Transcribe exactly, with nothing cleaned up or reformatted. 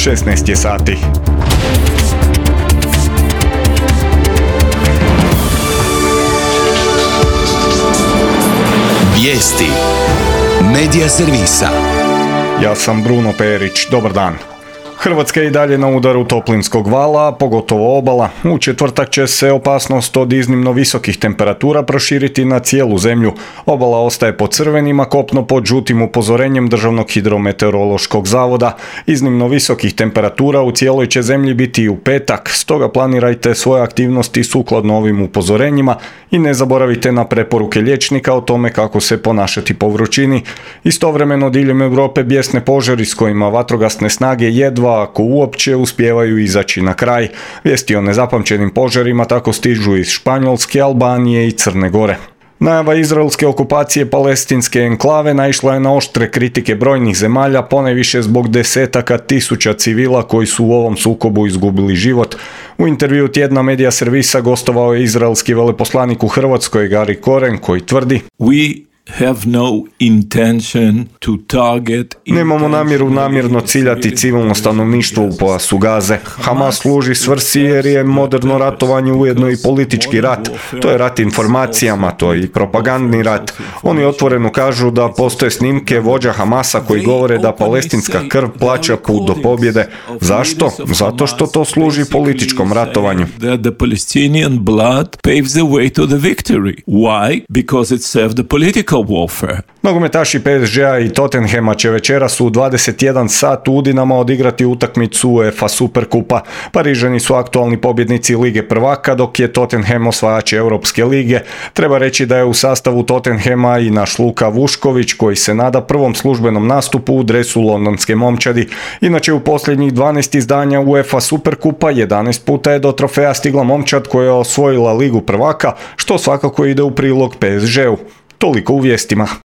šesnaest je sati. Vijesti Medija servisa. Ja sam Bruno Perić, dobar dan. Hrvatska je i dalje na udaru toplinskog vala, pogotovo obala. U četvrtak će se opasnost od iznimno visokih temperatura proširiti na cijelu zemlju. Obala ostaje pod crvenim, a kopno pod žutim upozorenjem Državnog hidrometeorološkog zavoda. Iznimno visokih temperatura u cijeloj će zemlji biti i u petak, stoga planirajte svoje aktivnosti sukladno ovim upozorenjima i ne zaboravite na preporuke liječnika o tome kako se ponašati po vrućini. Istovremeno diljem Europe bijesne požari s kojima vatrogasne snage jedva, ako uopće, uspijevaju izaći na kraj. Vijesti o nezapamćenim požarima tako stižu iz Španjolske, Albanije i Crne Gore. Najava izraelske okupacije palestinske enklave naišla je na oštre kritike brojnih zemalja, ponajviše zbog desetaka tisuća civila koji su u ovom sukobu izgubili život. U intervju tjedna Medija servisa gostovao je izraelski veleposlanik u Hrvatskoj Gari Koren, koji tvrdi: We have no intention to target. Nemamo namjeru namjerno ciljati civilno stanovništvo u pojasu Gaze. Hamas služi svrsi jer je moderno ratovanje ujedno i politički rat. To je rat informacijama, to je i propagandni rat. Oni otvoreno kažu da postoje snimke vođa Hamasa koji govore da palestinska krv plaća put do pobjede. Zašto? Zato što to služi političkom ratovanju. The Palestinian blood paves the way to the victory. Why? Because it served the political warfare. Nogometaši P S G-a i Tottenhama će večeras u dvadeset jedan sat u Udinama odigrati utakmicu UEFA Superkupa. Parižani su aktualni pobjednici Lige prvaka, dok je Tottenham osvajač Europske lige. Treba reći da je u sastavu Tottenhama i naš Luka Vušković, koji se nada prvom službenom nastupu u dresu londonske momčadi. Inače, u posljednjih dvanaest izdanja UEFA Superkupa jedanaest puta je do trofeja stigla momčad koja je osvojila Ligu prvaka, što svakako ide u prilog P S G-u. Toliko u vijestima.